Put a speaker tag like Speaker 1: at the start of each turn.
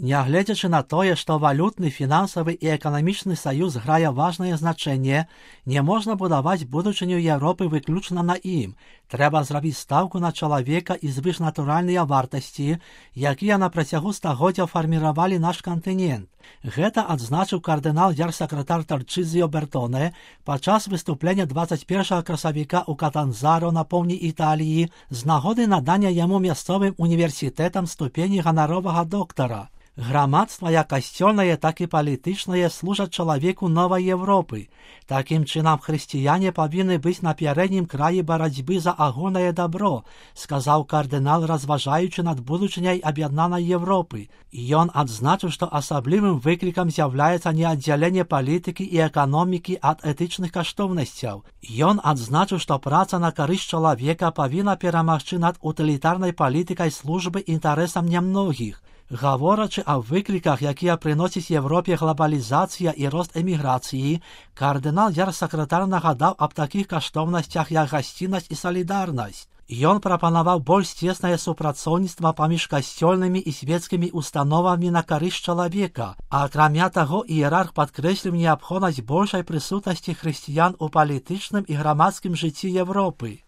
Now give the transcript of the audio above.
Speaker 1: Нягледзячы на тое, што валютны, фінансавы і эканамічны саюз грае важнае значэнне, не можна будаваць будучыню Еўропы выключна на ім. Трэба зрабіць стаўку на чалавека і звышнатуральныя вартасці, якія на працягу стагоддзяў фарміравалі наш кантынент. Гэта адзначыў кардынал ярсакратар Тарчызіо Бертоне падчас выступлення 21 красавіка ў Катанзаро на поўдні Італіі з нагоды надання яму мясцовым універсітэтам ступені ганаровага доктара. Грамадства як касцёльнае, так і палітычнае служаць чалавеку новай Еўропы. Такім чынам, хрысціяне павінны быць на пярэднім краі барацьбы за агульнае дабро, сказаў кардынал, разважаючы над будучыняй аб'яднанай Еўропы. Ён адзначыў, што асаблівым выклікам з'яўляецца не аддзяленне палітыкі і эканомікі ад этычных каштоўнасцяў. Ён адзначыў, што праца на карысць чалавека павінна перамагчы над утылітарнай палітыкай службы інтарэсам нямногіх. Гаворачы аб выкліках, якія прыносіць Еўропе глабалізацыя і рост эміграцыі, кардынал ярсакратар нагадаў аб такіх каштоўнасцях, як гасціннасць і салідарнасць. Ён прапанаваў больш цеснае супрацоўніцтва паміж касцёльнымі і свецкімі установамі на карысць чалавека, а акрамя таго іерарх падкрэсліў неабходнасць большай прысутнасці хрысціян у палітычным і грамадскім жыцці Еўропы.